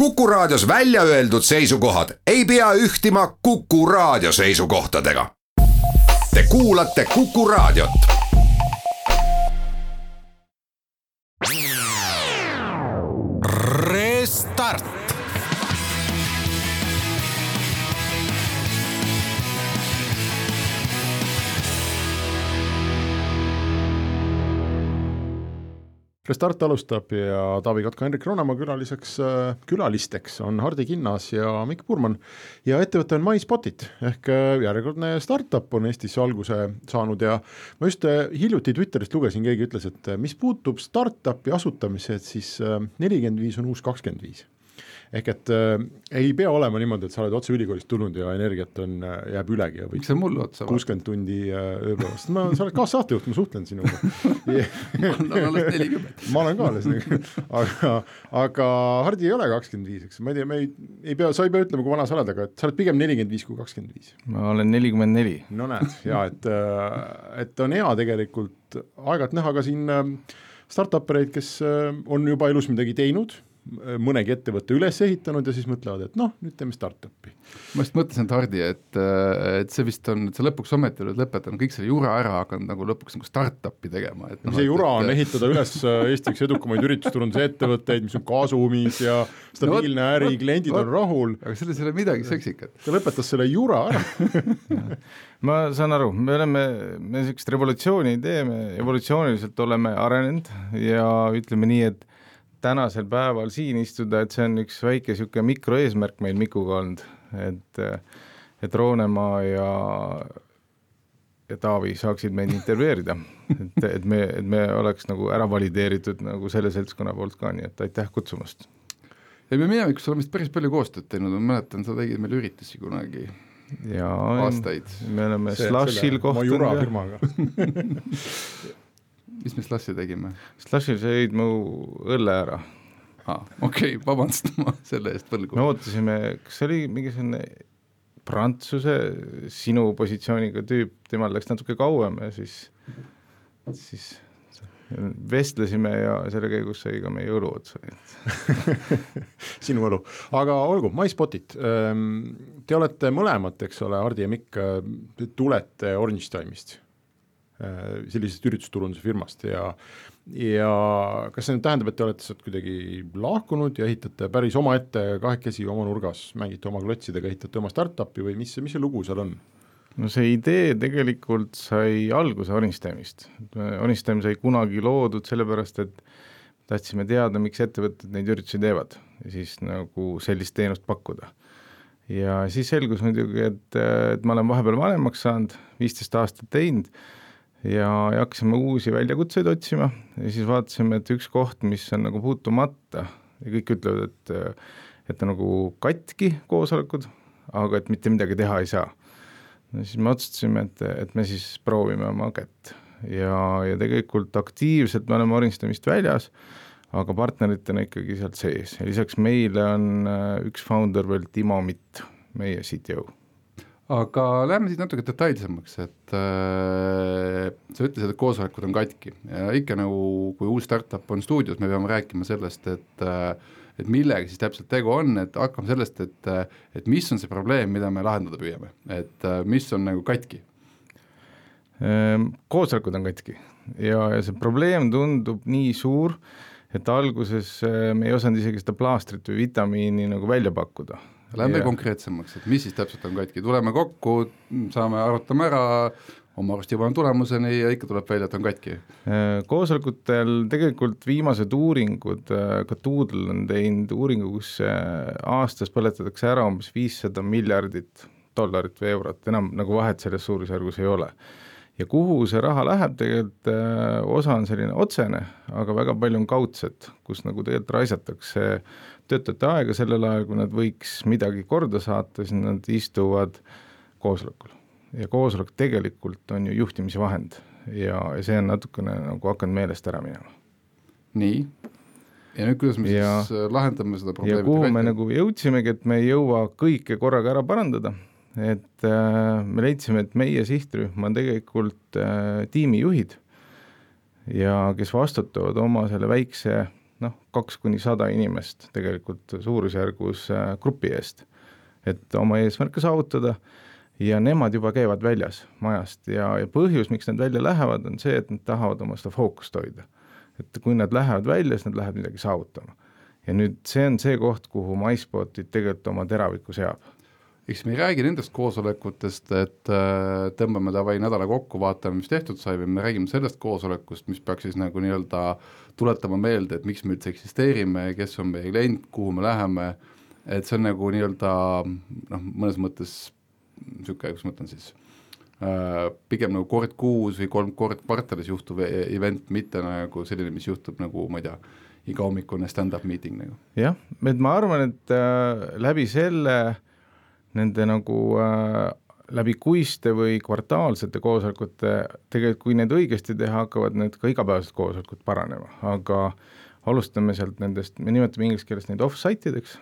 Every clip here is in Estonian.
Kuku Raadios välja öeldud seisukohad ei pea ühtima Kuku Raadio seisukohtadega. Te kuulate Kuku Raadiot. Restart. Restart alustab ja Taavi Kotka, Henrik Roonemaa külalisteks on Hardi Kinnas ja Mikk Purman ja ettevõte on MySpotit ehk järjekordne startup on Eestis alguse saanud ja ma just hiljuti Twitterist lugesin, keegi ütles, et mis puutub startupi asutamise, et siis 45 on uus 25. Ehk et ei pea olema niimoodi, et sa oled otse ülikoolist tulnud ja energiat jääb ülegi. Ja miks see mul otsa? 60 tundi ööpäevast. Sa oled kaassaatejuht, ma suhtlen sinuga. Ma olen alles 40. Ma olen ka alles. Aga Hardi ei ole 25, eks? Ma ei tea, sa ei pea ütlema, kui vana sa oled, aga sa oled pigem 45 kui 25. Ma olen 44. No näed, ja et on hea tegelikult aegalt näha ka siin startupereid, kes on juba elus midagi teinud, mõnegi ettevõtte üles ehitanud ja siis mõtlevad, et nüüd teeme startupi. Ma just mõtlesin, Hardi, et see vist on, et sa lõpuks ometi oled lõpetanud kõik selle jura ära hakanud nagu lõpuks nagu startupi tegema. Et see jura on ehitada üles Eestiks edukamaid üritusturunduse ettevõtteid, mis on kasumis ja stabiilne äri, kliendid on rahul. Aga selles ei ole midagi seksikat. Ta lõpetas selle jura ära. Ma saan aru, me sellist revolutsiooni ei tee, me evolutsiooniliselt oleme arenenud ja ütleme nii, et tänasel päeval siin istuda, et see on üks väike siuke mikroeesmärk meil Mikuga olnud, et Roonemaa ja Taavi saaksid meid intervjueerida, et me oleks nagu ära valideeritud nagu selle seltskonna poolt ka, nii et aitäh kutsumast. Ei, me minevikus oleme päris palju koostööd teinud, ma mäletan, sa tegid meil üritusi kunagi aastaid. Me oleme Slashil kohtunud. Ma jura firmaga. Mis me Slashil tegime? Slashil sa jõid mu õlle ära. Okei, vabandust ma selle eest võlgu. Me ootasime, kas oli mingi selline Prantsuse sinu positsiooniga tüüp, temal läks natuke kauem ja siis vestlesime ja selle käigus sai ka meie õlu otsa. Sinu õlu. Aga olgu, MySpotit. Te olete mõlemad, eks ole, Hardi ja Mikk, tulete Orange Time'ist, sellisest üritusturunduse firmast ja kas see nüüd tähendab, et te olete sealt kuidagi lahkunud ja ehitate päris oma ette kahekesi oma nurgas, mängite oma klotsidega, ehitate oma startupi või mis see lugu seal on? No see idee tegelikult sai alguse Orange Time'ist. Orange Time sai kunagi loodud sellepärast, et tahtsime teada, miks ettevõtted neid üritusi teevad ja siis nagu sellist teenust pakkuda. Ja siis selgus muidugi, et ma olen vahepeal vanemaks saanud, 15 aastat teinud ja hakkasime uusi väljakutseid otsima ja siis vaatasime, et üks koht, mis on nagu puutumata ja kõik ütlevad, et on nagu katki koosolekud, aga et mitte midagi teha ei saa. No siis me otsustasime, et me siis proovime oma kätt ja tegelikult aktiivselt me oleme Orange Time'ist väljas, aga partneritena ikkagi sealt sees ja lisaks meile on üks founder veel Timo Mitt, meie CTO. Aga lähme siit natuke detailsemaks, et sa ütlesid, et koosolekud on katki ja ikka nagu, kui uus startup on stuudios, me peame rääkima sellest, et millega siis täpselt tegu on, et hakkame sellest, et mis on see probleem, mida me lahendada püüame, et mis on nagu katki? Koosolekud on katki ja see probleem tundub nii suur, et alguses me ei osanud isegi seda plaastrit või vitamiini nagu välja pakkuda. Lähme konkreetsemaks, et mis siis täpselt on katki. Tuleme kokku, arutame ära, oma arust juba on tulemuseni ja ikka tuleb välja, et on katki. Koosolekutel tegelikult viimased uuringud, ka Doodle on teinud uuringu, kus aastas põletatakse ära umbes $500 miljardit või eurot, enam nagu vahet selles suurusjärgus ei ole. Ja kuhu see raha läheb, tegelikult osa on selline otsene, aga väga palju on kaudset, kus nagu tegelikult raisatakse töötajate aega sellel ajal, kui nad võiks midagi korda saata, siis nad istuvad koosolekul. Ja koosolek tegelikult on ju juhtimise vahend ja see on natukene nagu hakanud meelest ära minema. Nii. Ja nüüd kuidas me siis lahendame seda probleemi? Ja kuhu me nagu jõudsimegi, et me ei jõua kõike korraga ära parandada, et me leidsime, et meie sihtrühm on tegelikult tiimijuhid ja kes vastutavad oma selle väikse 2-100 inimest tegelikult suurusjärgus grupi eest, et oma eesmärke saavutada ja nemad juba käivad väljas majast ja põhjus, miks nad välja lähevad, on see, et nad tahavad oma seda fookust hoida. Et kui nad lähevad välja, siis nad lähevad midagi saavutama. Ja nüüd see on see koht, kuhu MySpotid tegelikult oma teraviku seab. Eks me ei räägi nendest koosolekutest, et tõmbame davai nädala kokku, vaatame, mis tehtud sai, või me räägime sellest koosolekust, mis peaks siis nagu nii-öelda tuletama meelde, et miks me üldse eksisteerime, kes on meie klient, kuhu me läheme, et see on nagu nii-öelda mõnes mõttes niisugune, kus ma mõtlen siis, pigem nagu kord kuus või 3 kord kvartalis juhtuv event, mitte nagu selline, mis juhtub nagu, ma ei tea, iga hommikune stand-up meeting nagu. Jah, et ma arvan, et läbi selle nende nagu läbi kuiste või kvartaalsete koosolekute, tegelikult kui need õigesti teha, hakkavad need ka igapäevased koosolekud paranema, aga alustame sealt nendest, me nimetame inglise keeles neid off-site'ideks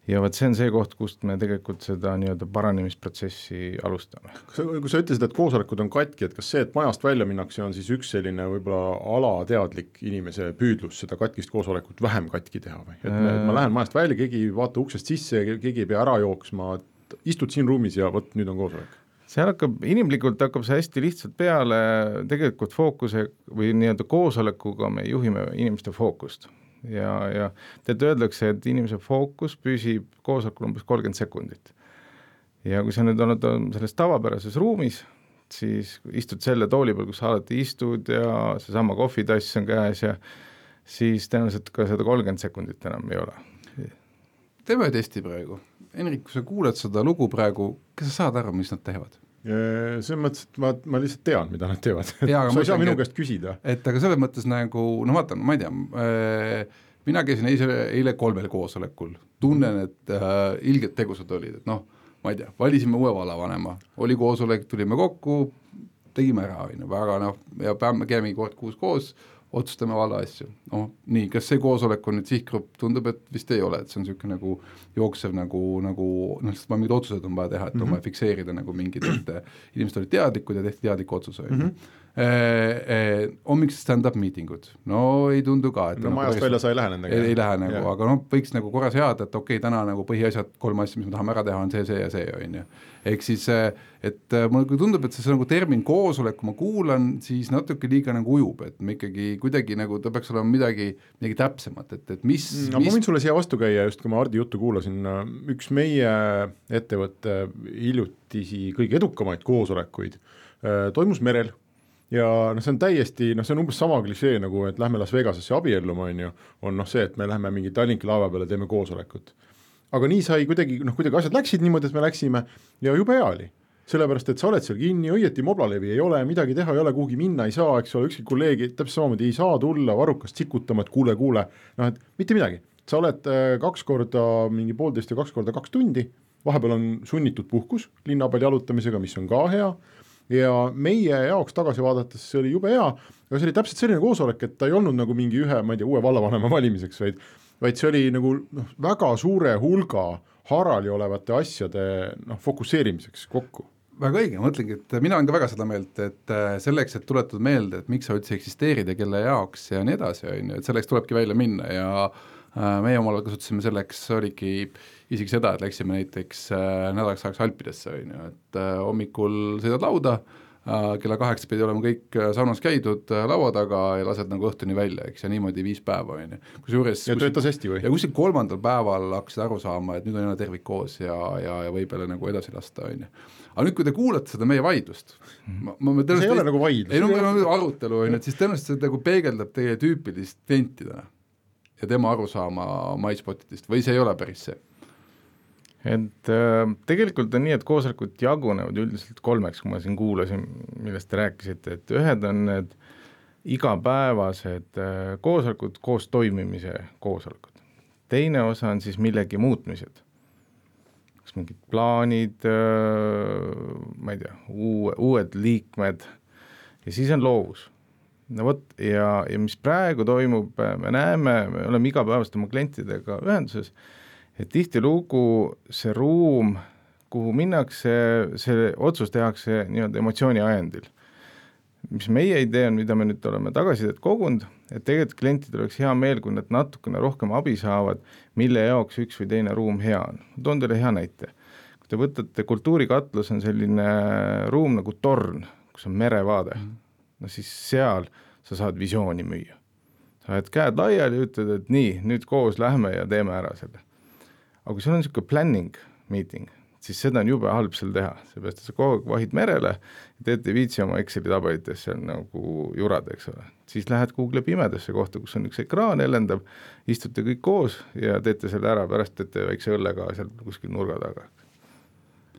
ja võt see on see koht, kust me tegelikult seda nii-öelda paranemisprotsessi alustame. Kui sa ütlesid, et koosolekud on katki, et kas see, et majast välja minnakse, on siis üks selline võib-olla alateadlik inimese püüdlus seda katkist koosolekut vähem katki teha või? Et ma lähen majast välja, keegi ei vaata uksest sisse, keegi ei pea ära jooksma, istud siin ruumis ja võt, nüüd on koosolek. Seal inimlikult hakkab see hästi lihtsalt peale, tegelikult fookuse või nii-öelda koosolekuga me juhime inimeste fookust. Ja tead öeldakse, et inimese fookus püsib koosolekul umbes 30 sekundit. Ja kui sa nüüd oled selles tavapärases ruumis, siis istud selle tooli peal, kus sa alati istud ja seesama kohvitass on käes ja siis tõenäoliselt ka seda 30 sekundit enam ei ole. Teeme testi praegu. Henrik, kui sa kuuled seda lugu praegu, kas sa saad aru, mis nad teevad? See mõttes, et ma lihtsalt tean, mida nad teevad. Sa ei saa minu käest küsida. Et aga selles mõttes nagu, vaatan, ma ei tea, mina käisin eile 3 koosolekul, tunnen, et ilgelt tegusad olid, et ma ei tea, valisime uue vallavanema, oli koosolek, tulime kokku, tegime ära, väga ja käime kord kuus koos, otsustame valla asju. Nii, kas see koosolek on nüüd sihtgrupp, tundub, et vist ei ole, et see on niisugune nagu jooksev sest mingid otsused on vaja teha, et on vaja fikseerida nagu mingid, et inimesed olid teadlikud ja tehti teadlik otsus. Hommikse stand-up meetingud, ei tundu ka. Et majast välja sa ei lähe nendega. Ei lähe nagu, aga võiks nagu korras head, et okei, täna nagu põhiasjad, 3 asja, mis me tahame ära teha, on see ja see, on ju. Ehk siis, et mulle tundub, et see nagu termin koosolek, kui ma kuulan, siis natuke liiga nagu ujub, et me ikkagi kuidagi nagu, ta peaks olema midagi täpsemat, et mis... Ma võin sulle siia vastu käia, just kui ma Hardi juttu kuulasin, üks meie ettevõtte hiljutisi kõige edukamaid koosolekuid toimus merel ja see on täiesti, see on umbes sama klišee nagu, et lähme Las Vegasesse abielluma, on see, et me lähme mingi Tallinki laeva peale, teeme koosolekut. Aga nii sai kuidagi asjad läksid niimoodi, et me läksime ja jube hea oli. Sellepärast, et sa oled seal kinni, õieti moblalevi ei ole, midagi teha ei ole, kuhugi minna ei saa, eks ole, ükski kolleegi täpselt samamoodi ei saa tulla varrukast sikutama, et kuule, et mitte midagi. Sa oled 2 korda mingi 1,5 ja 2 korda 2 tundi, vahepeal on sunnitud puhkus linna peal jalutamisega, mis on ka hea ja meie jaoks tagasi vaadates see oli jube hea, aga see oli täpselt selline koosolek, et ta ei olnud nagu mingi uue vallavanema valimiseks, vaid see oli nagu väga suure hulga harali olevate asjade fokusseerimiseks kokku. Väga õige, ma mõtlengi, et mina olen ka väga seda meelt, et selleks, et tuletada meelde, et miks sa üldse eksisteerid ja kelle jaoks ja nii edasi, et selleks tulebki välja minna ja meie omal kasutasime selleks, oligi isegi seda, et läksime näiteks nädalaks ajaks Alpidesse, et hommikul sõidad lauda, kella 8 pidi olema kõik saunas käidud laua taga ja lased nagu õhtuni välja, eks, ja niimoodi 5 päeva. Ja töötas hästi või? Ja kuskil 3. päeval hakkasid aru saama, et nüüd on jälle tervik koos ja võib jälle nagu edasi lasta. Aga nüüd, kui te kuulate seda meie vaidlust, see ei ole nagu vaidlus. Ei, meil on arutelu, et siis tõenäoliselt see nagu peegeldab teie tüüpilist klientidena ja tema arusaama MySpotidest või see ei ole päris see? Et tegelikult on nii, et koosolekud jagunevad üldiselt 3, kui ma siin kuulasin, millest te rääkisite, et ühed on need igapäevased koosolekud, koos toimimise koosolekud. Teine osa on siis millegi muutmised. Kas mingid plaanid, ma ei tea, uued liikmed ja siis on loovus. Ja mis praegu toimub, me näeme, me oleme igapäevast oma klientidega ühenduses, et tihtilugu see ruum, kuhu minnakse, see otsus tehakse nii-öelda emotsiooni ajendil. mis meie idee on, mida me nüüd oleme tagasisidet kogunud, et tegelikult klientidel oleks hea meel, kui nad natukene rohkem abi saavad, mille jaoks üks või teine ruum hea on. Toon teile hea näite. Kui te võtate kultuurikatlus on selline ruum nagu torn, kus on merevaade, no siis seal sa saad visiooni müüa. Sa oled käed laiali ja ütled, et nii, nüüd koos lähme ja teeme ära selle. Aga kui sul on niisugune planning meeting, siis seda on jube halb seal teha, seepärast, et sa kogu aeg vahid merele ja teete viitsi oma Exceli tabelites seal nagu jurad, eks ole. Siis lähed Google pimedasse kohta, kus on üks ekraan helendab, istute kõik koos ja teete selle ära, pärast teete väikse õllega seal kuskil nurga taga.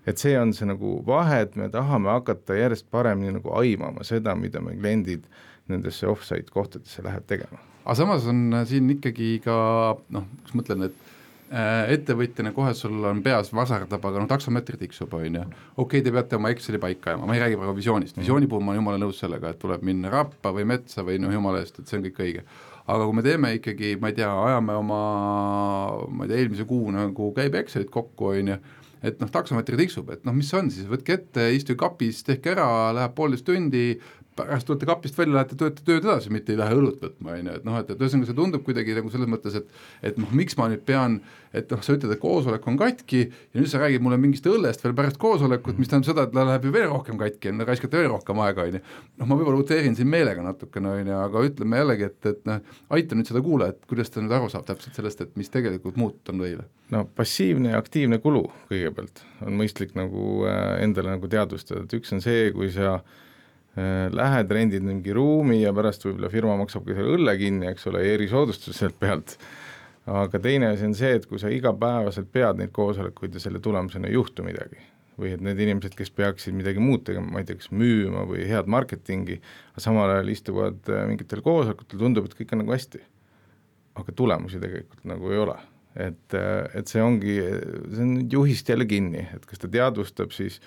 Et see on see nagu vahe, et me tahame hakata järjest paremini nagu aimama seda, mida me kliendid nendesse off-site kohtadesse läheb tegema. Aga samas on siin ikkagi ka, kus mõtlen, et ettevõtjana kohe sul on peas vasardab, aga taksomeetri tiksub, on ju. Okei, te peate oma Exceli paika ajama, ma ei räägi praegu visioonist. Visiooni puhul ma olen jumala nõus sellega, et tuleb minna rappa või metsa või jumala eest, et see on kõik õige. Aga kui me teeme ikkagi, ma ei tea, ajame oma, eelmise kuu nagu käib Excelit kokku, on ju, et taksomeetri tiksub, et mis on siis, võtke ette, istu kapis, tehke ära, läheb 1,5 tundi, pärast tulete kapist välja, lähete tööd edasi, mitte ei lähe õlut võtma, et ühesõnaga see tundub kuidagi nagu selles mõttes, et miks ma nüüd pean, et sa ütled, et koosolek on katki ja nüüd sa räägid mulle mingist õllest veel pärast koosolekut, mis tähendab seda, et läheb ju veel rohkem katki, raiskate veel rohkem aega, ma võib-olla uteerin siin meelega natukene, aga ütleme jällegi, et aita nüüd seda kuula, et kuidas ta nüüd aru saab täpselt sellest, et mis tegelikult muutud on teile. Passiivne ja aktiivne kulu kõigepealt on mõistlik nagu endale nagu teadvustada, et üks on see, kui sa lähed, rendid mingi ruumi ja pärast võib-olla firma maksab ka selle õlle kinni, eks ole, erisoodustus sealt pealt. Aga teine asi on see, et kui sa igapäevaselt pead neid koosolekuid ja selle tulemusena ei juhtu midagi. Või et need inimesed, kes peaksid midagi muud tegema, ma ei tea, kas müüma või head marketingi, aga samal ajal istuvad mingitel koosolekutel, tundub, et kõik on nagu hästi. Aga tulemusi tegelikult nagu ei ole. Et see ongi, see on juhist jälle kinni, et kas ta teadvustab siis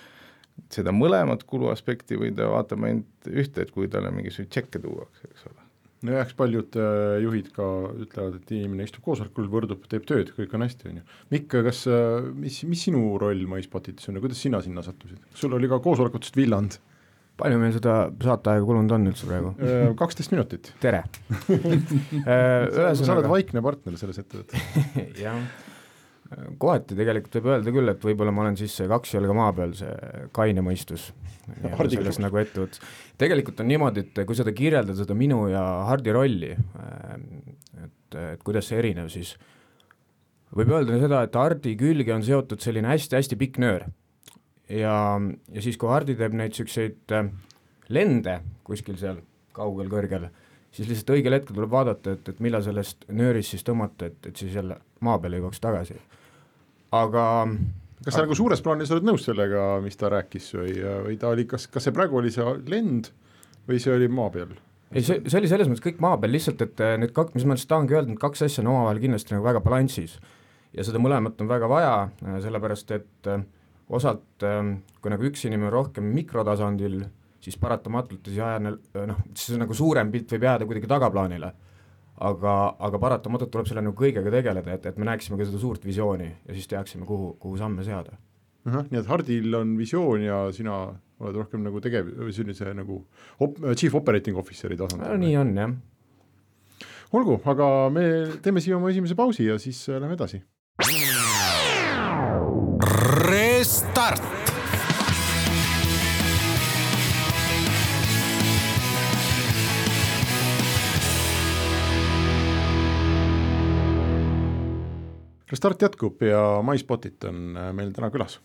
seda mõlemat kuluaspekti või ta vaatab ainult ühte, et kui talle mingisugune tšekke tuuakse, eks ole. No eks paljud juhid ka ütlevad, et inimene istub koosolekul, võrdub, teeb tööd, kõik on hästi. Mikk, mis sinu roll MySpotitis on ja kuidas sina sinna sattusid? Sul oli ka koosolekutest Villand. Palju meil seda saateaega kulunud on üldse praegu? 12 minutit. Tere! Sa oled vaikne partner selles ettevõttes. Jah. Kohati tegelikult võib öelda küll, et võib-olla ma olen siis 2 jalga maa peal, see kaine mõistus selles nagu ettevõttes. Tegelikult on niimoodi, et kui seda kirjeldada seda minu ja Hardi rolli, et kuidas see erinev, siis võib öelda seda, et Hardi külge on seotud selline hästi-hästi pikk nöör ja siis kui Hardi teeb neid selliseid lende kuskil seal kaugel kõrgel, siis lihtsalt õigel hetkel tuleb vaadata, et millal sellest nöörist siis tõmmata, et siis jälle maa peale jõuaks tagasi. Aga kas sa nagu suures plaanis oled nõus sellega, mis ta rääkis või ta oli, kas see praegu oli see lend või see oli maa peal? Ei, see oli selles mõttes kõik maa peal, lihtsalt, et need mis ma tahangi öelda, need 2 asja on omavahel kindlasti nagu väga balanssis ja seda mõlemat on väga vaja, sellepärast et osalt, kui nagu üks inimene rohkem mikrotasandil, siis paratamatult siis nagu suurem pilt võib jääda kuidagi tagaplaanile. Aga paratamatult tuleb selle nagu kõigega tegeleda, et me näeksime ka seda suurt visiooni ja siis teaksime, kuhu samme seada. Nii et Hardil on visioon ja sina oled rohkem nagu sellise nagu chief operating officeri tasandil. Nii on, jah. Olgu, aga me teeme siia oma esimese pausi ja siis lähme edasi. Restart! Restart jätkub ja MySpotit on meil täna külas.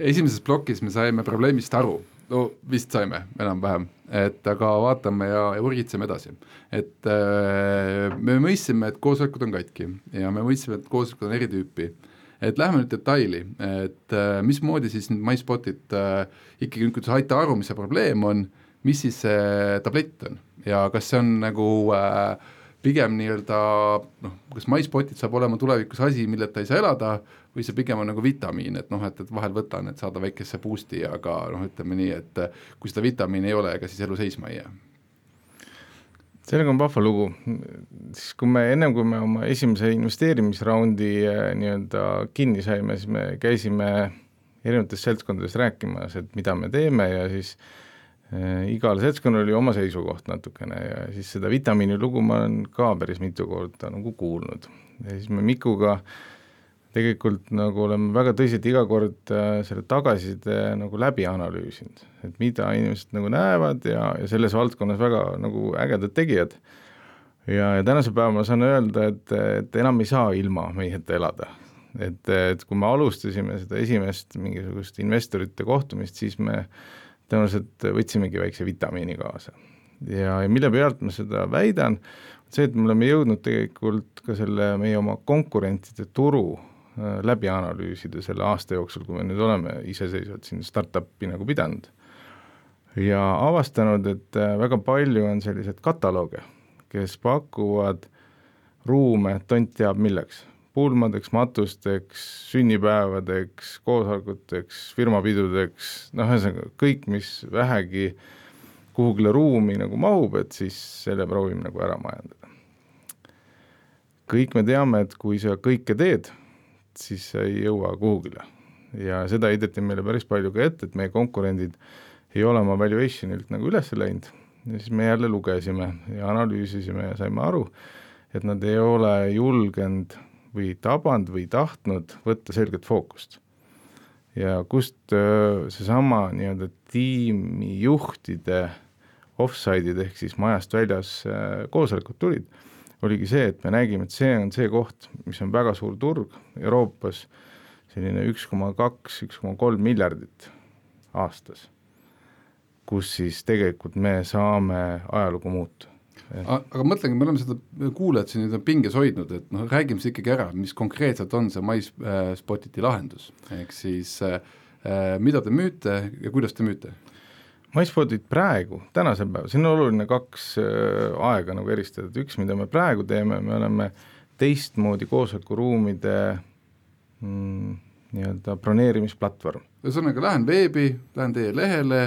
Esimeses plokis me saime probleemist aru, vist saime enam-vähem, aga vaatame ja urgitseme edasi. Et me mõistsime, et koosolekud on katki ja me mõistsime, et koosolekud on eri tüüpi. Et lähme nüüd detaili, et mismoodi siis nüüd MySpotit ikkagi nüüd aita aru, mis see probleem on, mis siis see tablett on ja kas see on nagu pigem nii-öelda, kas MySpotit saab olema tulevikus asi, milleta ei saa elada, või see pigem on nagu vitamiin, et vahel võtan, et saada väikesse boosti, aga ütleme nii, et kui seda vitamiin ei ole, ega siis elu seisma ei jää. Sellega on vahva lugu. Siis kui me me oma esimese investeerimisraundi nii-öelda kinni saime, siis me käisime erinevates seltskondades rääkimas, et mida me teeme ja siis igal seltskonnal oli oma seisukoht natukene ja siis seda vitamiini lugu ma olen ka päris mitu korda nagu kuulnud. Ja siis me Mikuga tegelikult nagu oleme väga tõsiselt iga kord selle tagasiside nagu läbi analüüsinud, et mida inimesed nagu näevad ja selles valdkonnas väga nagu ägedad tegijad. Ja tänase päeva ma saan öelda, et enam ei saa ilma meieta elada. Et kui me alustasime seda esimest mingisugust investorite kohtumist, siis me tõenäoliselt võtsimegi väikse vitamiini kaasa. Ja mille pealt ma seda väidan, see, et me oleme jõudnud tegelikult ka selle meie oma konkurentide turu läbi analüüsida selle aasta jooksul, kui me nüüd oleme iseseisvalt siin startupi nagu pidanud. Ja avastanud, et väga palju on sellised katalooge, kes pakuvad ruume tont teab milleks. Pulmadeks, matusteks, sünnipäevadeks, koosolekuteks, firmapidudeks, kõik, mis vähegi kuhugile ruumi nagu mahub, et siis selle proovime nagu ära majandada. Kõik me teame, et kui sa kõike teed, siis sa ei jõua kuhugile. Ja seda heideti meile päris palju ka ette, et meie konkurendid ei ole oma valuationilt nagu üles läinud. Ja siis me jälle lugesime ja analüüsisime ja saime aru, et nad ei ole julgenud või tabanud või tahtnud võtta selget fookust. Ja kust seesama nii-öelda tiimijuhtide offside'id ehk siis majast väljas koosolekud tulid, oligi see, et me nägime, et see on see koht, mis on väga suur turg Euroopas, selline 1,2–1,3 miljardit aastas, kus siis tegelikult me saame ajalugu muuta. Aga mõtlengi, me oleme seda kuulajad siin pinges hoidnud, et räägime see ikkagi ära, mis konkreetselt on see MySpotiti lahendus, ehk siis mida te müüte ja kuidas te müüte? MySpotit praegu, tänasel päeval, siin on oluline 2 aega nagu eristada, üks, mida me praegu teeme, me oleme teistmoodi koosolekuruumide nii-öelda broneerimisplatvorm. Ühesõnaga, lähen veebi, lähen teie lehele,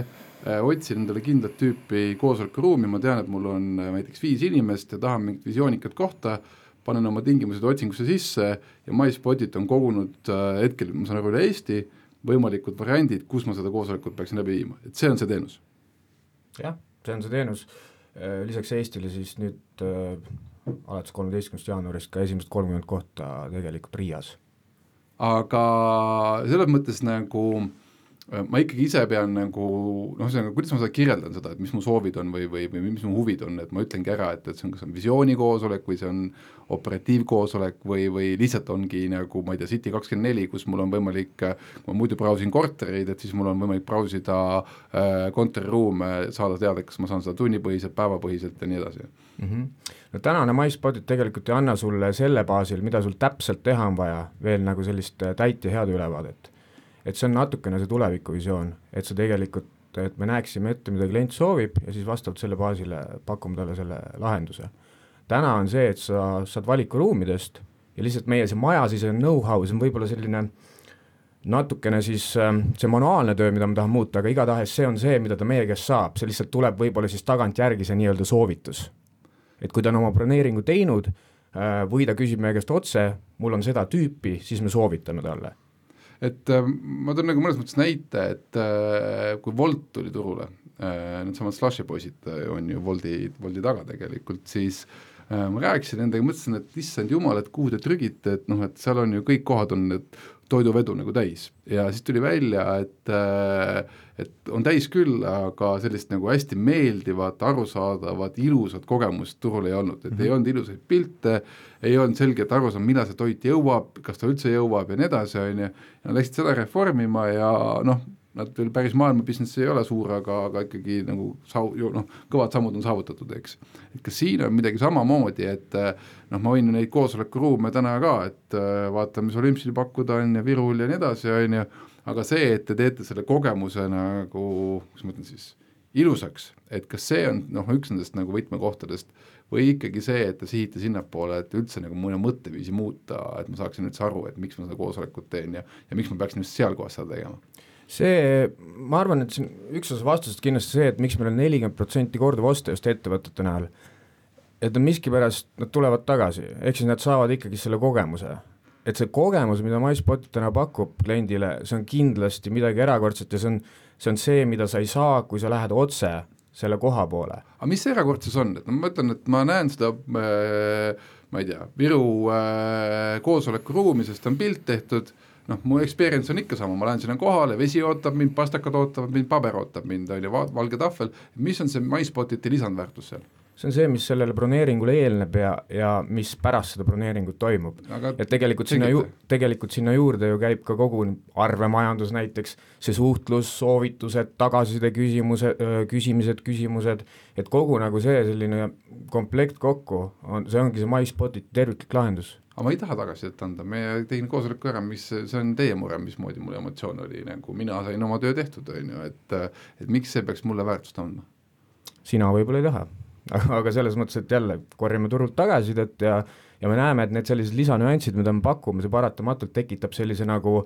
otsin endale kindlat tüüpi koosolekuruumi, ma tean, et mul on näiteks 5 inimest ja tahan mingit visioonikat kohta, panen oma tingimused otsingusse sisse ja MySpotit on kogunud hetkel, ma saan aru üle Eesti, võimalikud variandid, kus ma seda koosolekut peaksin läbi viima, et see on see teenus. Jah, see on see teenus. Lisaks Eestile siis nüüd alates 13. jaanuarist ka esimesed 30 kohta tegelikult Riias. Aga selles mõttes nagu ma ikkagi ise pean nagu, kuidas ma seda kirjeldan seda, et mis mu soovid on või mis mu huvid on, et ma ütlengi ära, et see on kas on visioonikoosolek või see on operatiivkoosolek või lihtsalt ongi nagu, ma ei tea, City24, kus mul on võimalik, kui ma muidu brausin kortereid, et siis mul on võimalik brausida kontoriruume, saada teada, kas ma saan seda tunnipõhiselt, päevapõhiselt ja nii edasi. No tänane MySpotit tegelikult ei anna sulle selle baasil, mida sul täpselt teha on vaja, veel nagu sellist täit ja head ülevaadet. Et see on natukene see tulevikuvisioon, et see tegelikult, et me näeksime ette, mida klient soovib ja siis vastavalt selle baasile pakume talle selle lahenduse. Täna on see, et sa saad valikuruumidest ja lihtsalt meie see maja siis on know-how, see on võib-olla selline natukene siis see manuaalne töö, mida ma tahan muuta, aga igatahes see on see, mida ta meie käest saab, see lihtsalt tuleb võib-olla siis tagant järgi see nii-öelda soovitus. Et kui ta on oma broneeringu teinud või ta küsib meie käest otse, mul on seda tüüpi, siis me soovitame talle. Et ma toon nagu mõnes mõttes näite, et kui Wolt tuli turule, need samad Slushi poisid on ju Wolti taga tegelikult, siis ma rääkisin nendega, mõtlesin, et issand jumal, et kuhu te trügite, et seal on ju kõik kohad on need toiduvedu nagu täis ja siis tuli välja, et on täis küll, aga sellist nagu hästi meeldivat, arusaadavat, ilusat kogemust turul ei olnud, et ei olnud ilusaid pilte, ei olnud selgelt aru saada, millal see toit jõuab, kas ta üldse jõuab ja nii edasi, ja läksid seda reformima ja nad veel päris maailma business ei ole suur, aga ikkagi nagu kõvad sammud on saavutatud, eks. Et kas siin on midagi samamoodi, et ma võin neid koosolekuruume täna ka, et vaata, mis Olümpsil pakkuda on ja Virul ja nii edasi, on ju, aga see, et te teete selle kogemuse nagu, kus ma ütlen siis, ilusaks, et kas see on üks nendest nagu võtmekohtadest või ikkagi see, et te sihite sinnapoole, et üldse nagu mõne mõtteviisi muuta, et ma saaksin üldse aru, et miks ma seda koosolekut teen ja miks ma peaksin just seal kohas seda tegema. See, ma arvan, et üks osa vastusest kindlasti see, et miks meil on 40% korduvoste just ettevõtete näol, et on miskipärast, nad tulevad tagasi, ehk siis nad saavad ikkagi selle kogemuse. Et see kogemus, mida MySpot täna pakub kliendile, see on kindlasti midagi erakordset ja see see on see, mida sa ei saa, kui sa lähed otse selle koha poole. Aga mis see erakordsus on, et ma mõtlen, et ma näen seda ma ei tea, Viru koosolekuruumi, sest on pilt tehtud, mu experience on ikka sama, ma lähen sinna kohale, vesi ootab mind, pastakad ootavad mind, paber ootab mind, valge tahvel, mis on see MySpotiti lisandväärtus seal? See on see, mis sellele broneeringule eelneb ja mis pärast seda broneeringut toimub. Et tegelikult sinna juurde ju käib ka kogu arvemajandus näiteks, see suhtlus, soovitused, tagasiside küsimused, et kogu nagu see selline komplekt kokku, see ongi see MySpotiti terviklik lahendus. Aga ma ei taha tagasisidet anda, me tegin koosoleku ära, see on teie mure, mismoodi mul emotsioon oli, nagu mina sain oma töö tehtud, et miks see peaks mulle väärtust andma? Sina võib-olla ei taha. Aga selles mõttes, et jälle korjame turult tagasisidet ja me näeme, et need sellised lisanüansid, mida me pakume, see paratamatult tekitab sellise nagu,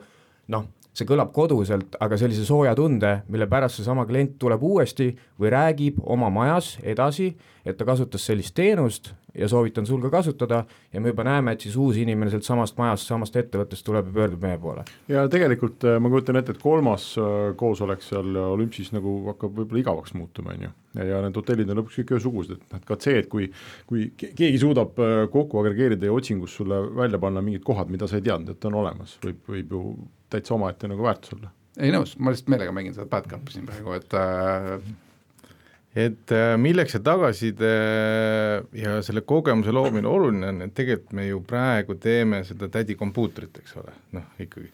see kõlab koduselt, aga sellise sooja tunde, mille pärast see sama klient tuleb uuesti või räägib oma majas edasi, et ta kasutas sellist teenust ja soovitan sul ka kasutada ja me juba näeme, et siis uus inimene sealt samast majast, samast ettevõttest tuleb ja pöördub meie poole. Ja tegelikult ma kujutan ette, et kolmas koosolek seal Olümpsis nagu hakkab võib-olla igavaks muutuma, ja need hotellid on lõpuks kõik ühesugused, et ka see, et kui keegi suudab kokku agregeerida ja otsingus sulle välja panna mingid kohad, mida sa ei teadnud, et on olemas, võib ju täitsa omaette nagu väärtus olla. Ei nõus, ma lihtsalt meelega mängin seda bad cupi siin praegu, et milleks see tagasiside ja selle kogemuse loomine oluline on, et tegelikult me ju praegu teeme seda tädi kompuutrit, eks ole, ikkagi,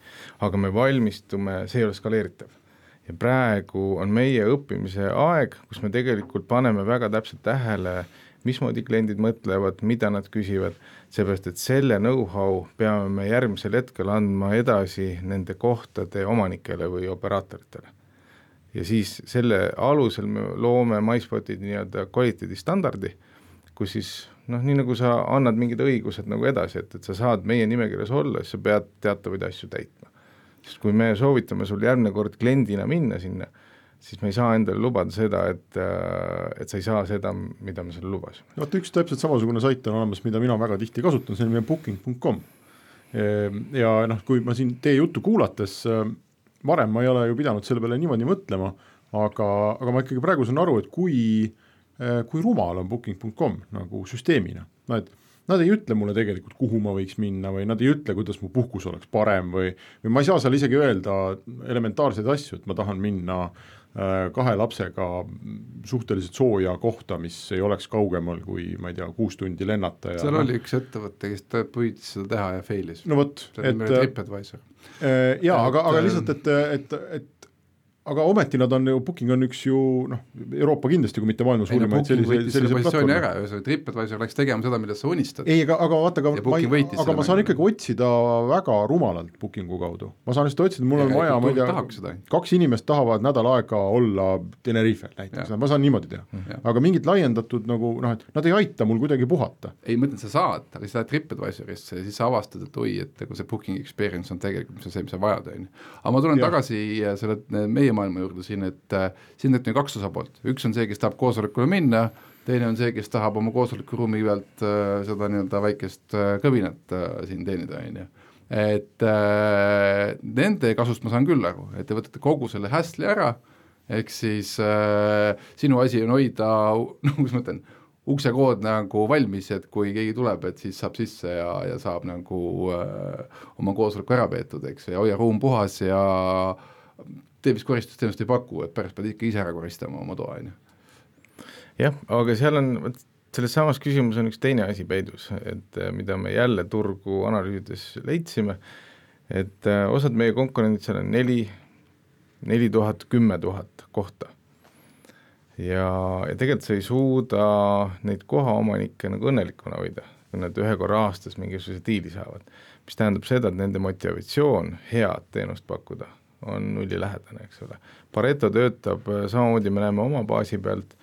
aga me valmistume, see ei ole skaleeritav. Ja praegu on meie õppimise aeg, kus me tegelikult paneme väga täpselt tähele, mismoodi kliendid mõtlevad, mida nad küsivad, seepärast, et selle know-how peame me järgmisel hetkel andma edasi nende kohtade omanikele või operaatoritele. Ja siis selle alusel me loome MySpotid nii-öelda kvaliteedistandardi, kus siis, nii nagu sa annad mingid õigused nagu edasi, et sa saad meie nimekirjas olla, siis sa pead teatavaid asju täitma. Sest kui me soovitame sul järgmine kord kliendina minna sinna, siis me ei saa endale lubada seda, et sa ei saa seda, mida me sulle lubasime. Üks täpselt samasugune sait on olemas, mida mina väga tihti kasutan, see on meie booking.com. Ja kui ma siin teie juttu kuulates varem ma ei ole ju pidanud selle peale niimoodi mõtlema, aga ma ikkagi praegu saan aru, et kui rumal on booking.com nagu süsteemina. Nad ei ütle mulle tegelikult, kuhu ma võiks minna või nad ei ütle, kuidas mu puhkus oleks parem või ma ei saa seal isegi öelda elementaarseid asju, et ma tahan minna 2 lapsega suhteliselt sooja kohta, mis ei oleks kaugemal kui, ma ei tea, 6 tundi lennata. Seal oli üks ettevõte, kes püüdis seda teha ja failis. No võt, TripAdvisor. Aga lihtsalt, et aga ometi nad on ju, Booking on üks ju Euroopa kindlasti, kui mitte maailma suurimaid sellise platvormi ära, TripAdvisor läks tegema seda, mida sa unistad. Ei, aga vaata, aga ma saan ikkagi otsida väga rumalalt Bookingu kaudu. Ma saan lihtsalt otsida, mul on vaja, ma ei tea, 2 inimest tahavad nädal aega olla Tenerifel näiteks, ma saan niimoodi teha. Aga mingid laiendatud nagu, et nad ei aita mul kuidagi puhata. Ei, mõtlen, sa saad, aga sa lähed TripAdvisorisse ja siis sa avastad, et et see Booking experience on tegelikult see, mis sa vajad. Aga ma tulen tagasi selle meie maailma juurde siin, et siin on 2 osapoolt. Üks on see, kes tahab koosolekule minna, teine on see, kes tahab oma koosolekuruumi pealt seda nii-öelda väikest kõvinat siin teenida. Et nende kasust ma saan küll aru, et te võtate kogu selle hästli ära, ehk siis sinu asi on hoida, kus ma ütlen, uksekood nagu valmis, et kui keegi tuleb, et siis saab sisse ja saab nagu oma koosoleku ära peetud, eks, ja hoia ruum puhas ja tee vist koristusteenust ei paku, et pärast pead ikka ise ära koristama oma toa. Jah, aga seal on, selles samas küsimus on üks teine asi peidus, et mida me jälle turgu analüüsides leidsime, et osad meie konkurendid seal on 4000, 10 000 kohta. Ja tegelikult sa ei suuda neid kohaomanikke nagu õnnelikuna hoida, kui nad 1 korra aastas mingisuguse diili saavad, mis tähendab seda, et nende motivatsioon head teenust pakkuda on nullilähedane, eks ole. Pareto töötab, samamoodi me näeme oma baasi pealt,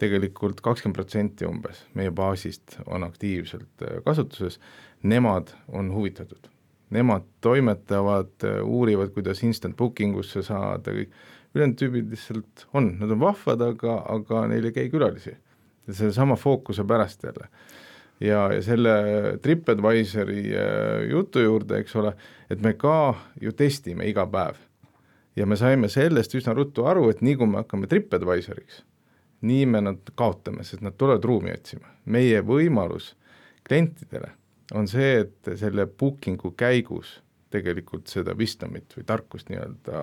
tegelikult 20% umbes meie baasist on aktiivselt kasutuses, nemad on huvitatud. Nemad toimetavad, uurivad, kuidas instant bookingusse saada, kõik ülejäänud tüübid lihtsalt on, nad on vahvad, aga neil ei käi külalisi. See sama fookuse pärast jälle. Ja selle TripAdvisori jutu juurde, eks ole, et me ka ju testime iga päev. ja me saime sellest üsna ruttu aru, et nii kui me hakkame TripAdvisoriks, nii me nad kaotame, sest nad tulevad ruumi otsima. Meie võimalus klientidele on see, et selle bookingu käigus tegelikult seda wisdomit või tarkust nii-öelda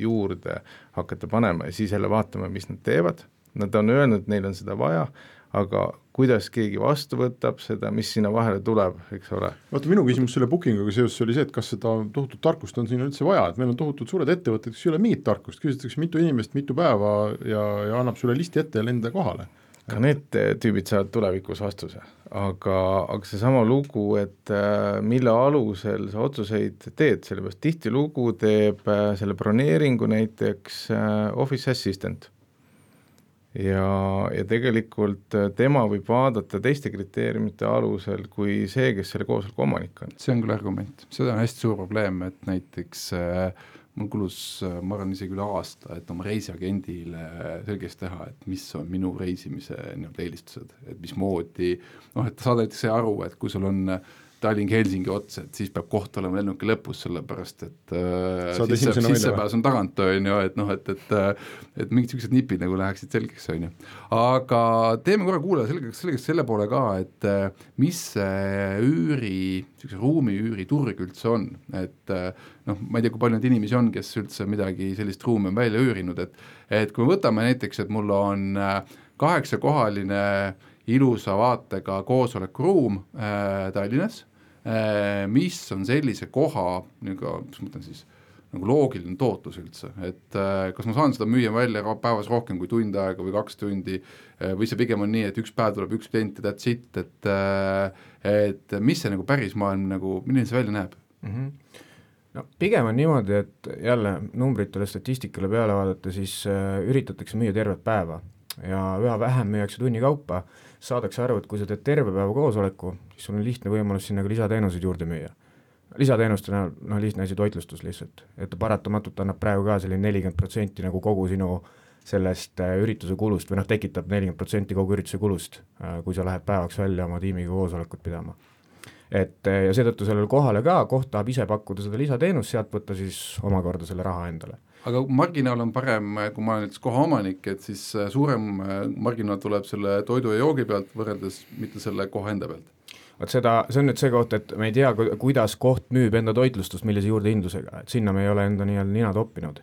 juurde hakata panema ja siis jälle vaatama, mis nad teevad. Nad on öelnud, et neil on seda vaja, aga kuidas keegi vastu võtab seda, mis sinna vahele tuleb, eks ole. Vaata, minu küsimus selle bookinguga seoses oli see, et kas seda tohutut tarkust on siin üldse vaja, et meil on tohutult suured ettevõtted, kes ei ole mingit tarkust, küsitakse mitu inimest, mitu päeva ja annab sulle listi ette ja lenda kohale. Ka need tüübid saavad tulevikus vastuse, aga seesama lugu, et mille alusel sa otsuseid teed, sellepärast tihti lugu teeb selle broneeringu näiteks Office Assistant. Ja tegelikult tema võib vaadata teiste kriteeriumite alusel kui see, kes selle koosoleku omanik on. See on küll argument, seda on hästi suur probleem, et näiteks mul kulus, ma arvan isegi üle aasta, et oma reisiagendile selgeks teha, et mis on minu reisimise eelistused, et mismoodi, et saada näiteks see aru, et kui sul on Tallinn-Helsingi ots, et siis peab koht olema lennuki lõpus, sellepärast et sissepääs on tagant, et mingid sellised nipid nagu läheksid selgeks, aga teeme korra kuule selgeks selle poole ka, et mis see ruumi üüri turg üldse on, et ma ei tea, kui palju neid inimesi on, kes üldse midagi sellist ruumi on välja üürinud, et kui me võtame näiteks, et mul on 8-kohaline ilusa vaatega koosolekuruum Tallinnas, mis on sellise koha, mis mõtlen siis, nagu loogiline tootlus üldse, et kas ma saan seda müüa välja päevas rohkem kui tund aega või 2 tundi, või see pigem on nii, et üks päev tuleb üks klient ja that's it, et mis see nagu päris maailm, nagu, milline see välja näeb? No, pigem on niimoodi, et jälle numbritele statistikale peale vaadata, siis üritatakse müüa tervet päeva ja üha vähem müüakse tunni kaupa, saadakse aru, et kui sa teed terve päeva koosoleku, siis sul on lihtne võimalus sinna ka lisateenuseid juurde müüa. Lisateenuste lihtne asi toitlustus lihtsalt, et paratamatult annab praegu ka selline 40% nagu kogu sinu sellest ürituse kulust või tekitab 40% kogu ürituse kulust, kui sa lähed päevaks välja oma tiimiga koosolekut pidama. Ja seetõttu sellele kohale ka, koht tahab ise pakkuda seda lisateenust, sealt võtta siis omakorda selle raha endale. Aga marginaal on parem, kui ma olen näiteks koha omanik, et siis suurem marginaal tuleb selle toidu ja joogi pealt võrreldes mitte selle koha enda pealt. See on nüüd see koht, et me ei tea, kuidas koht müüb enda toitlustust, millise juurdehindlusega, et sinna me ei ole enda nina toppinud.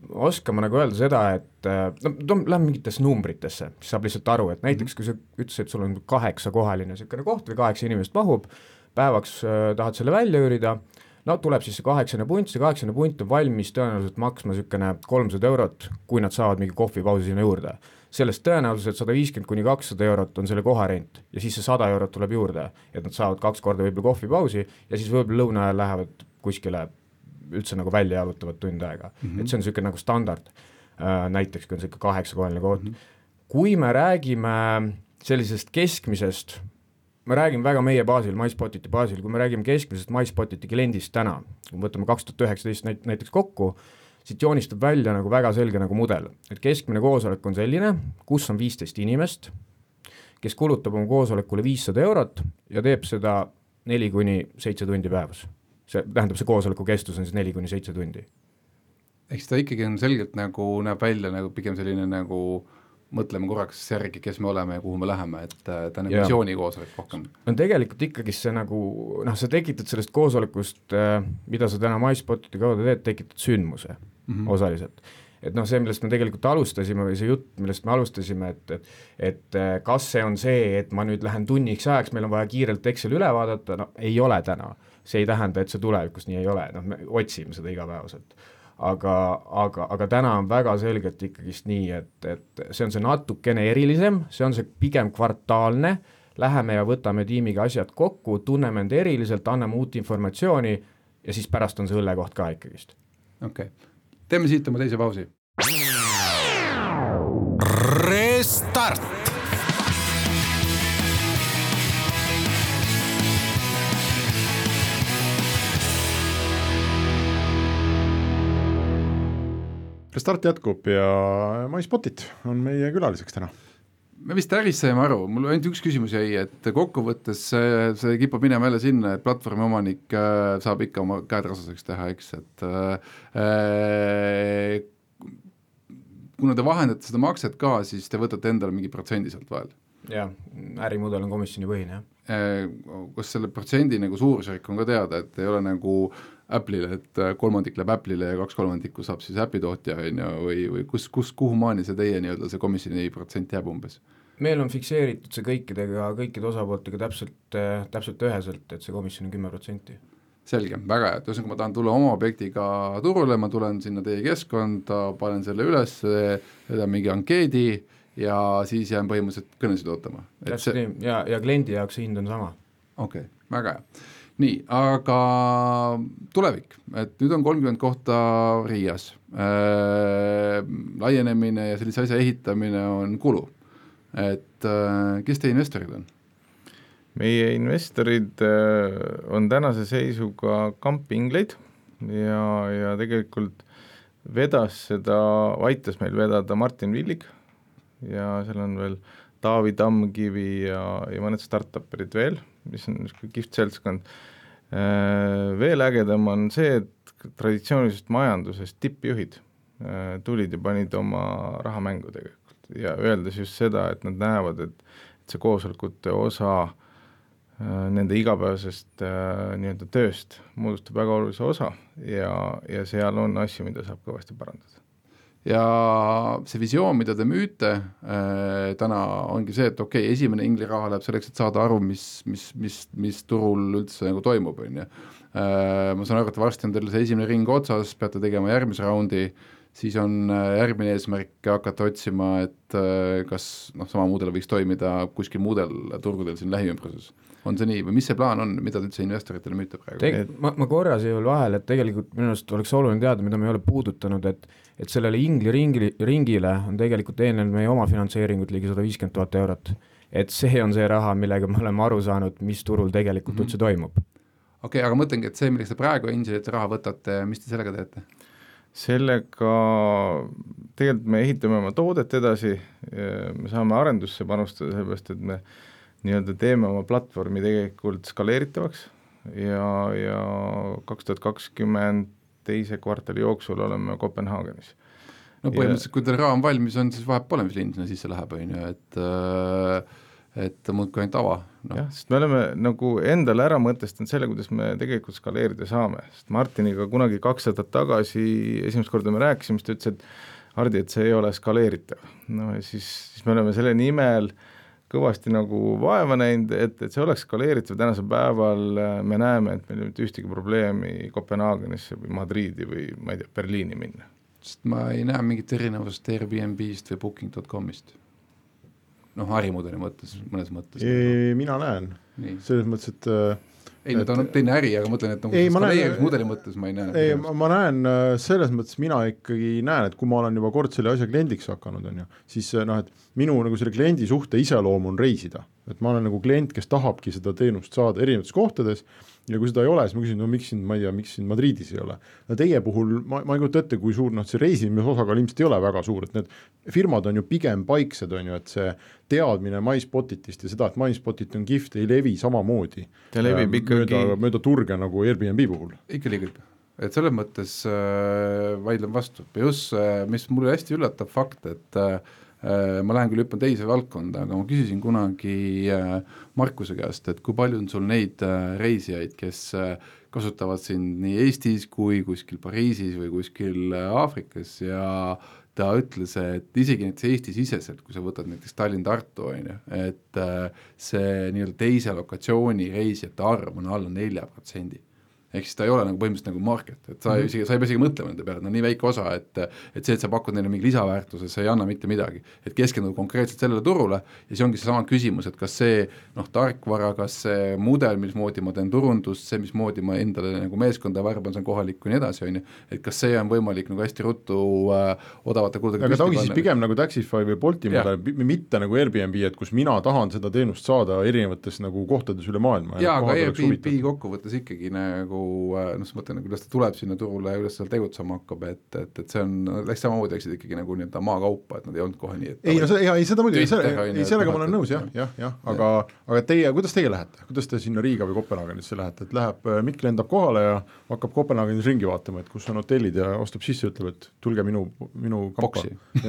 Oskame nagu öelda seda, et lähme mingitesse numbritesse, siis saab lihtsalt aru, et näiteks kui sa ütlesid, et sul on 8-kohaline selline koht või 8 inimest mahub, päevaks tahad selle välja üürida, tuleb siis see 8 punt, see 8 punt on valmis tõenäoliselt maksma 300 €, kui nad saavad mingi kohvipausi sinna juurde. Sellest tõenäoliselt 150–200 € on selle koharent ja siis see 100 € tuleb juurde, et nad saavad 2 korda võib-olla kohvipausi ja siis võib-olla lõuna ajal lähevad kuskile üldse nagu välja jalutavad tund aega. Et see on selline nagu standard, näiteks kui on selline 8-kohaline koht. Kui me räägime sellisest keskmisest, me räägime väga meie baasil, MySpotiti baasil, kui me räägime keskmisest MySpotiti kliendist täna, kui võtame 2019 näiteks kokku, siit joonistab välja nagu väga selge nagu mudel, et keskmine koosolek on selline, kus on 15 inimest, kes kulutab oma koosolekule 500 € ja teeb seda 4–7 tundi päevas. See tähendab, see koosoleku kestus on siis 4–7 tundi. Eks ta ikkagi on selgelt nagu näeb välja nagu pigem selline nagu mõtleme korraks järgi, kes me oleme ja kuhu me läheme, et ta on visiooni koosolek rohkem. No tegelikult ikkagi see nagu, sa tekitad sellest koosolekust, mida sa täna MySpotiti kaudu teed, tekitad sündmuse osaliselt. Et see, millest me tegelikult alustasime või see jutt, millest me alustasime, et kas see on see, et ma nüüd lähen tunniks ajaks, meil on vaja kiirelt Excel üle vaadata, ei ole täna. See ei tähenda, et see tulevikus nii ei ole, me otsime seda igapäevaselt. Aga täna on väga selgelt ikkagist nii, et see on see natukene erilisem, see on see pigem kvartaalne, läheme ja võtame tiimiga asjad kokku, tunneme end eriliselt, anname uut informatsiooni ja siis pärast on see õllekoht ka ikkagist. Okay. Teeme siit oma teise pausi. Restart! Restart jätkub ja MySpotit on meie külaliseks täna. me vist äris saime aru, mul ainult üks küsimus jäi, et kokkuvõttes see kipub minema jälle sinna, et platvormi omanik saab ikka oma käed rasaseks teha, eks, et kuna te vahendate seda makset ka, siis te võtate endale mingi protsendi sealt vahel. Jah, ärimudel on komisjoni põhine, jah. Kas selle protsendi nagu suurusjärk on ka teada, et ei ole nagu Apple'ile, et 3% läheb Apple'ile ja 2/3 saab siis äpi tootja või kuhu maani see teie nii-öelda see komisjoni protsent jääb umbes? Meil on fikseeritud see kõikide osapooltega täpselt üheselt, et see komisjon on 10%. Selge, väga hea, et ühesõnaga ma tahan tulla oma objektiga turule, ma tulen sinna teie keskkonda, panen selle üles, tedan mingi ankeedi ja siis jään põhimõtteliselt kõnesid ootama. Täpselt nii, ja kliendi jaoks see hind on sama. Okei, väga hea. Nii, aga tulevik, et nüüd on 30 kohta Riias, laienemine ja sellise asja ehitamine on kulu, et kes teie investorid on? Meie investorid on tänase seisuga Campingleid ja tegelikult aitas meil vedada Martin Villig ja seal on veel Taavi Tammkivi ja mõned startuperid veel, mis on kihvt seltskond. Veel ägedam on see, et traditsioonilisest majandusest tippjuhid tulid ja panid oma raha mängu tegelikult ja öeldes just seda, et nad näevad, et see koosolekute osa nende igapäevasest nii-öelda tööst moodustab väga olulise osa ja seal on asju, mida saab kõvasti parandada. Ja see visioon, mida te müüte täna ongi see, et okei, esimene ingli raha läheb selleks, et saada aru, mis turul üldse nagu toimub. Ma saan aru, et varsti on teil see esimene ring otsas, peate tegema järgmise raundi, siis on järgmine eesmärk hakata otsima, et kas sama mudel võiks toimida kuskil muudel turgudel siin lähiümbruses. On see nii või mis see plaan on, mida te üldse investoritele müüte praegu? Ma korra siia veel vahel, et tegelikult minu arust oleks oluline teada, mida me ei ole puudutanud, et sellele ingli ringile on tegelikult eelnenud meie oma finantseeringut ligi 150 000 eurot. Et see on see raha, millega me oleme aru saanud, mis turul tegelikult üldse toimub. Okei, aga mõtlengi, et see, milleks te praegu Angelite raha võtate, mis te sellega teete? Sellega tegelikult me ehitame oma toodet edasi, me saame arendusse panustada, sellepärast, et me nii-öelda teeme oma platvormi tegelikult skaleeritavaks ja 2020 teise kvartali jooksul oleme Kopenhaagenis. No põhimõtteliselt, kui teil raam valmis on, siis vahepeal pole, mis linn sinna sisse läheb, et muudki ainult ava. No. Jah, sest me oleme nagu endale ära mõtestanud selle, kuidas me tegelikult skaleerida saame, sest Martiniga kunagi 2 aastat tagasi esimest korda me rääkisime, siis ta ütles, et Hardi, et see ei ole skaleeritav. No ja siis me oleme selle nimel kõvasti nagu vaeva näinud, et see oleks skaleeritav. Tänasel päeval me näeme, et meil ei ole ühtegi probleemi Kopenhaagenisse või Madriidi või ma ei tea, Berliini minna. Sest ma ei näe mingit erinevust Airbnb-st või Booking.comist. Ärimudeli mõttes, mõnes mõttes. Mina näen. Selles mõttes, et ei, ta on teine äri, aga mõtlen, et skaleerimismudeli mõttes ma ei näe. Ma näen selles mõttes, mina ikkagi näen, et kui ma olen juba kord selle asja kliendiks hakanud, siis et minu nagu selle kliendi suhte iseloom on reisida. Et ma olen nagu klient, kes tahabki seda teenust saada erinevates kohtades ja kui seda ei ole, siis ma küsin, miks siin Madridis ei ole. Teie puhul ma ei kujuta ette, kui suur see reisimise osakaal ilmselt ei ole väga suur, et need firmad on ju pigem paiksed, et see teadmine MySpotitist ja seda, et MySpotit on kihvt, ei levi samamoodi. Ta levib ikkagi mööda turge nagu Airbnb puhul. Ikka liigub. Et selles mõttes vaidlen vastu. Just, mis mulle hästi üllatab fakt, et ma lähen küll hüppan teise valdkonda, aga ma küsisin kunagi Markuse käest, et kui palju on sul neid reisijaid, kes kasutavad sind nii Eestis kui kuskil Pariisis või kuskil Aafrikas ja ta ütles, et isegi näiteks Eesti-siseselt, kui sa võtad näiteks Tallinn-Tartu, et see nii-öelda teise lokatsiooni reisijate arv on alla 4%. Ehk siis ta ei ole nagu põhimõtteliselt nagu market, et sa ei pea isegi mõtlema nende peale, nii väike osa, et see, et sa pakud neile mingi lisaväärtuse, see ei anna mitte midagi. Et keskenduda konkreetselt sellele turule ja see ongi see sama küsimus, et kas see tarkvara, kas see mudel, mismoodi ma teen turundust, see, mismoodi ma endale nagu meeskonda värban, see on kohalik kui nii edasi, et kas see on võimalik nagu hästi ruttu odavate kuldega. Aga ta ongi siis pigem nagu Taxify või Bolti mudel, mitte nagu Airbnb, et kus mina tahan seda teenust saada erinevates nagu kohtades üle maailma. Jaa, aga Airbnb kokkuvõttes ikkagi nagu noh, sa mõtlen, kuidas ta tuleb sinna turule ja kuidas seal tegutsema hakkab, et see on, läks samamoodi läksid ikkagi nagu nii-öelda maakaupa, et nad ei olnud kohe nii, et ei, no seda muidugi, sellega ma olen nõus, jah, aga teie, kuidas teie lähete? Kuidas te sinna Riiga või Kopenhaagenisse lähete, et läheb, Mikk lendab kohale ja hakkab Kopenhaagenis ringi vaatama, et kus on hotellid ja ostab sisse, ütleb, et tulge minu kampa.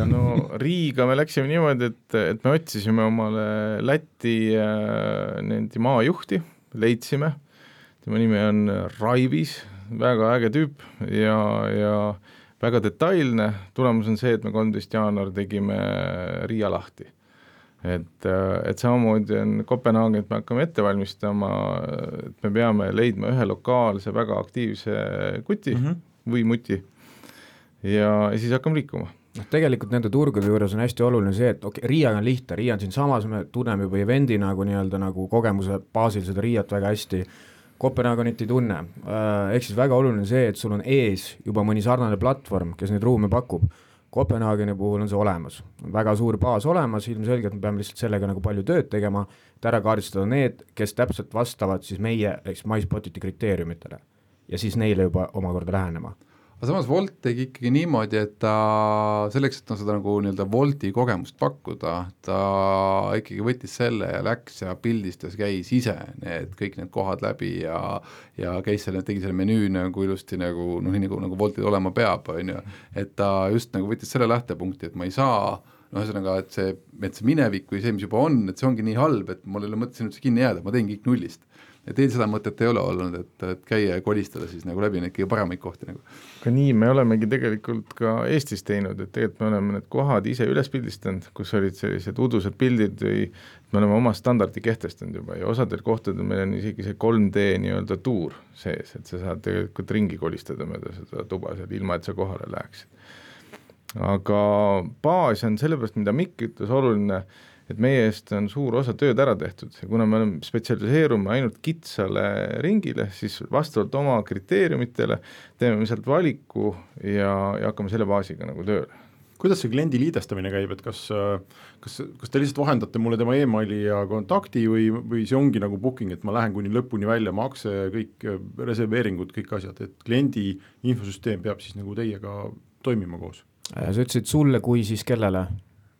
No Riiga me läksime niimoodi, et me otsisime omale Läti maajuhti, leidsime, tema nimi on Raivis, väga äge tüüp ja väga detailne, tulemus on see, et me 13. jaanuar tegime Riia lahti. Et samamoodi on Kopenhaagen, et me hakkame ette valmistama, et me peame leidma ühe lokaalse väga aktiivse kuti või muti ja siis hakkame liikuma. Tegelikult nende turgude juures on hästi oluline see, et Riiaga on lihtne, Riia on siin samas, me tunneme juba evendi nagu kogemuse baasil seda Riiat väga hästi, Kopenhaagenit ei tunne, ehk siis väga oluline see, et sul on ees juba mõni sarnane platvorm, kes neid ruume pakub. Kopenhaageni puhul on see olemas, on väga suur baas olemas, ilmselgelt me peame lihtsalt sellega nagu palju tööd tegema, et ära kaardistada need, kes täpselt vastavad siis meie MySpotiti kriteeriumitele ja siis neile juba omakorda lähenema. Aga samas Wolt tegi ikkagi niimoodi, et ta selleks, et seda nagu nii-öelda Wolti kogemust pakkuda, ta ikkagi võttis selle ja läks ja pildistas, käis ise kõik need kohad läbi ja käis selle, tegi selle menüü nagu ilusti nagu, nii nagu Woltil olema peab, et ta just nagu võttis selle lähtepunkti, et ma ei saa, ühesõnaga, et see minevik või see, mis juba on, et see ongi nii halb, et mul ei ole mõttes üldse kinni jääda, ma teen kõik nullist. Ja teil seda mõtet ei ole olnud, et käia ja kolistada siis nagu läbi neid kõige paremaid kohti nagu. Ka nii me olemegi tegelikult ka Eestis teinud, et tegelikult me oleme need kohad ise üles pildistanud, kus olid sellised udused pildid või me oleme oma standardi kehtestanud juba ja osadel kohtadel meil on isegi see 3D nii-öelda tuur sees, et sa saad tegelikult ringi kolistada mööda seda tuba seal, ilma et sa kohale läheksid. Aga baas on sellepärast, mida Mikk ütles, oluline, et meie eest on suur osa tööd ära tehtud ja kuna me oleme spetsialiseerume ainult kitsale ringile, siis vastavalt oma kriteeriumitele teeme me sealt valiku ja hakkame selle baasiga nagu tööle. Kuidas see kliendi liidestamine käib, et kas te lihtsalt vahendate mulle tema emaili ja kontakti või see ongi nagu booking, et ma lähen kuni lõpuni välja, makse, kõik reserveeringud, kõik asjad, et kliendi infosüsteem peab siis nagu teiega toimima koos? Sa ütlesid sulle kui siis kellele?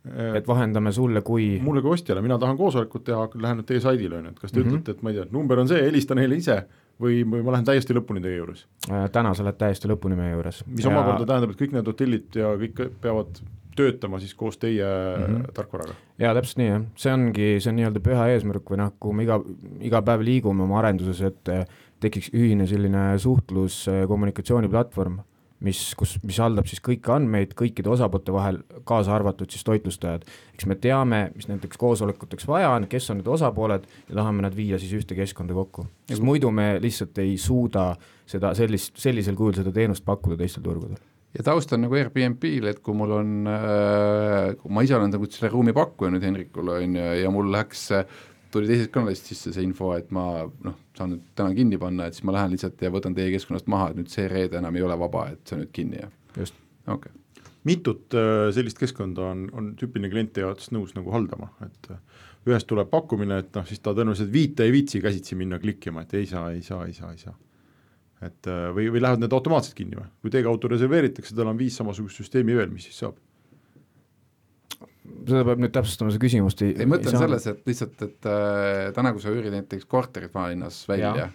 Et vahendame sulle kui... Mulle kui ostjale, mina tahan koosolekut teha, lähen teie saidile, et kas te ütlete, et ma ei tea, number on see, helista neile ise või ma lähen täiesti lõpuni teie juures? Täna sa lähed täiesti lõpuni meie juures. Mis omakorda tähendab, et kõik need hotellid ja kõik peavad töötama siis koos teie tarkvaraga? Jaa, täpselt nii, jah. See on nii-öelda püha eesmärk või kuhu me iga päev liigume oma arenduses, et tekiks ühine selline suhtlus kommunikatsiooniplatvorm, mis haldab siis kõiki andmeid kõikide osapoolte vahel, kaasa arvatud siis toitlustajad. Eks me teame, mis nendeks koosolekuteks vaja on, kes on need osapooled ja tahame nad viia siis ühte keskkonda kokku. Sest muidu me lihtsalt ei suuda seda sellisel kujul seda teenust pakkuda teistel turgudel. Ja taust on nagu Airbnb-l, et kui mul on, kui ma ise olen selle ruumi pakkuja nüüd Henrikule ja mul tuli teisest kanalist sisse see info, et ma saan nüüd täna kinni panna, et siis ma lähen lihtsalt ja võtan teie keskkonnast maha, et nüüd see reede enam ei ole vaba, et see on nüüd kinni. Ja. Just. Okay. Mitut sellist keskkonda on tüüpiline klient jaoks nõus nagu haldama, et ühest tuleb pakkumine, et siis ta tõenäoliselt ei viitsi käsitsi minna klikkima, et ei saa. Et, või lähevad need automaatselt kinni või? Kui teie kaudu reserveeritakse, tal on 5 samasugust süsteemi veel, mis siis saab? Seda peab nüüd täpsustama see küsimust. Ei mõtlen selles, et lihtsalt, et täna kui sa üürid näiteks korterit maalinnas välja,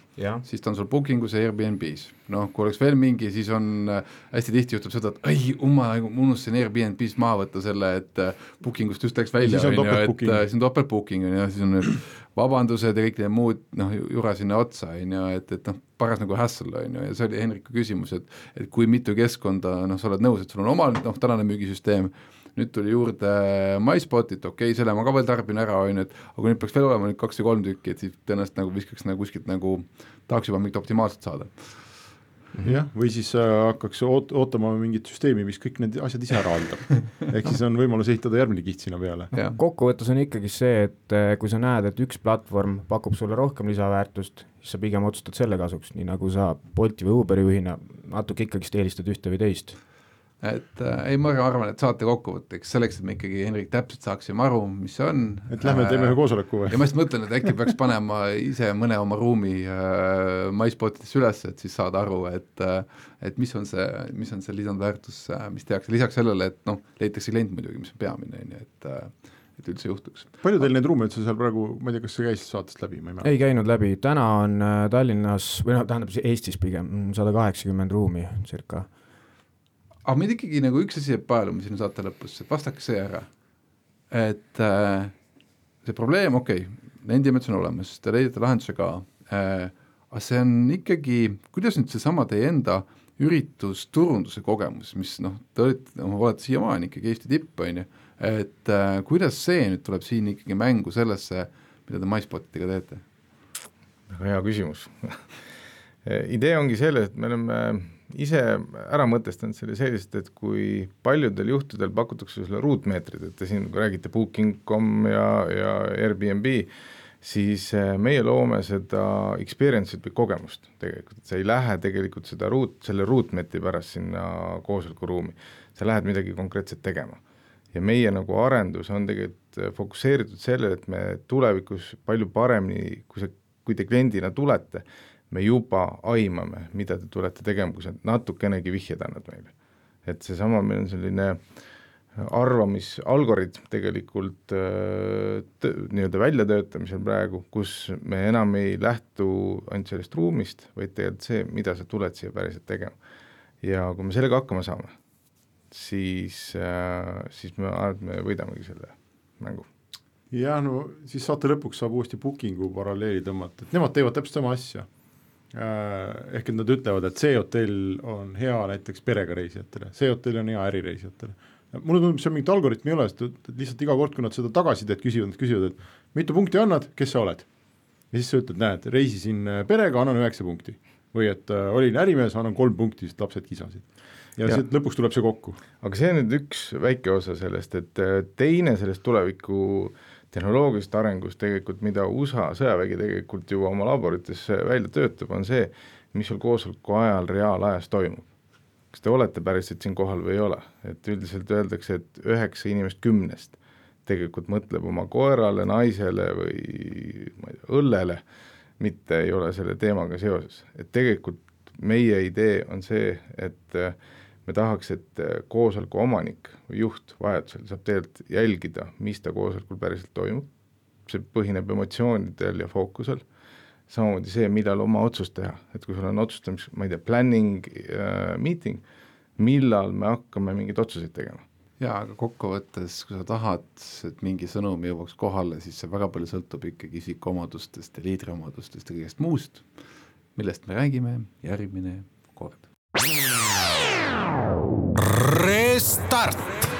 siis ta on sul bookingus ja Airbnb-s. Kui oleks veel mingi, siis on hästi tihti juhtub seda, et ma unustasin Airbnb-s maha võtta selle, et bookingust just läks välja, siis on topeltbooking ja siis on vabandused ja kõik need muud jura sinna otsa, et paras nagu hassle ja see oli Henriku küsimus, et kui mitu keskkonda sa oled nõus, et sul on oma tänane müügisüsteem, nüüd tuli juurde MySpotit, selle ma ka veel tarbin ära, aga kui nüüd peaks veel olema 2 või 3 tükki, et siis tõenäoliselt viskaks kuskilt tahaks juba mingit optimaalselt saada. Jah, või siis hakkaks ootama mingit süsteemi, mis kõik need asjad ise ära haldab. Ehk siis on võimalus ehitada järgmine kiht sinna peale. Kokkuvõttes on ikkagi see, et kui sa näed, et üks platvorm pakub sulle rohkem lisaväärtust, siis sa pigem otsustad selle kasuks, nii nagu sa Bolti või Uberi juhina natuke ikkagi eelistad ühte või teist. et ei, ma arvan, et saate kokkuvõtteks selleks, et me ikkagi, Henrik, täpselt saaksime aru, mis see on. Et lähme teeme ühe koosoleku või? Ja ma just mõtlen, et äkki peaks panema ise mõne oma ruumi MySpotidesse üles, et siis saada aru, et mis on see lisandväärtus, mis tehakse lisaks sellele, et leitakse klient muidugi, mis on peamine, et üldse juhtuks. Palju teil neid ruume üldse seal praegu, ma ei tea, kas see käis saatest läbi? Ei käinud läbi, täna on Tallinnas, või tähendab Eestis pigem 180 ruumi circa. Aga meid ikkagi nagu üks asi jääb paeluma sinu saate lõpus, et vastake see ära, et see probleem, nendime, et see on olemas, te leidate lahenduse ka, aga see on ikkagi, kuidas nüüd seesama teie enda üritusturunduse kogemus, mis te olete siiamaani ikkagi Eesti tipp, et kuidas see nüüd tuleb siin ikkagi mängu sellesse, mida te MySpotidega teete? Väga hea küsimus. Idee ongi selles, et me oleme ise ära mõtestanud selle selliselt, et kui paljudel juhtudel pakutakse sulle ruutmeetrid, et te siin räägite Booking.com ja Airbnb, siis meie loome seda experience'it või kogemust tegelikult, et sa ei lähe tegelikult selle ruutmeetri pärast sinna koosolekuruumi, sa lähed midagi konkreetset tegema. Ja meie nagu arendus on tegelikult fokusseeritud sellele, et me tulevikus palju paremini, kui te kliendina tulete, me juba aimame, mida te tulete tegema, kui sa natukenegi vihjed annad meile. Et seesama meil on selline arvamisalgoritm tegelikult nii-öelda väljatöötamisel praegu, kus me enam ei lähtu ainult sellest ruumist, vaid tegelikult see, mida sa tuled siia päriselt tegema. Ja kui me sellega hakkama saame, siis me võidamegi selle mängu. Ja siis saate lõpuks saab uuesti Bookingu paralleeli tõmmata, et nemad teevad täpselt sama asja. Ehk et nad ütlevad, et see hotell on hea näiteks perega reisijatele, see hotell on hea ärireisijatele. Mulle tundub, see on mingit algoritmi ei ole, et lihtsalt iga kord, kui nad seda tagasisidet küsivad, et mitu punkti annad, kes sa oled? Ja siis sa ütled, näed, reisisin perega, annan 9 punkti. Või et olin ärimees, annan 3 punkti, sest lapsed kisasid. Ja lõpuks tuleb see kokku. Aga see on nüüd üks väike osa sellest, et teine sellest tuleviku tehnoloogilist arengust tegelikult, mida USA sõjavägi tegelikult ju oma laborites välja töötab, on see, mis sul koosoleku ajal reaalajas toimub. Kas te olete päriselt siin kohal või ei ole? Et üldiselt öeldakse, et 9 inimest 10 tegelikult mõtleb oma koerale, naisele või õllele, mitte ei ole selle teemaga seoses. Et tegelikult meie idee on see, et me tahaks, et koosoleku omanik või juht vajadusel saab tegelikult jälgida, mis ta koosolekul päriselt toimub. See põhineb emotsioonidel ja fookusel. Samamoodi see, millal oma otsust teha. Et kui sul on otsustamis, ma ei tea, planning meeting, millal me hakkame mingid otsuseid tegema. Jaa, aga kokkuvõttes, kui sa tahad, et mingi sõnum jõuaks kohale, siis see väga palju sõltub ikkagi isikuomadustest ja liidriomadustest ja kõigest muust, millest me räägime järgmine kord. Restart!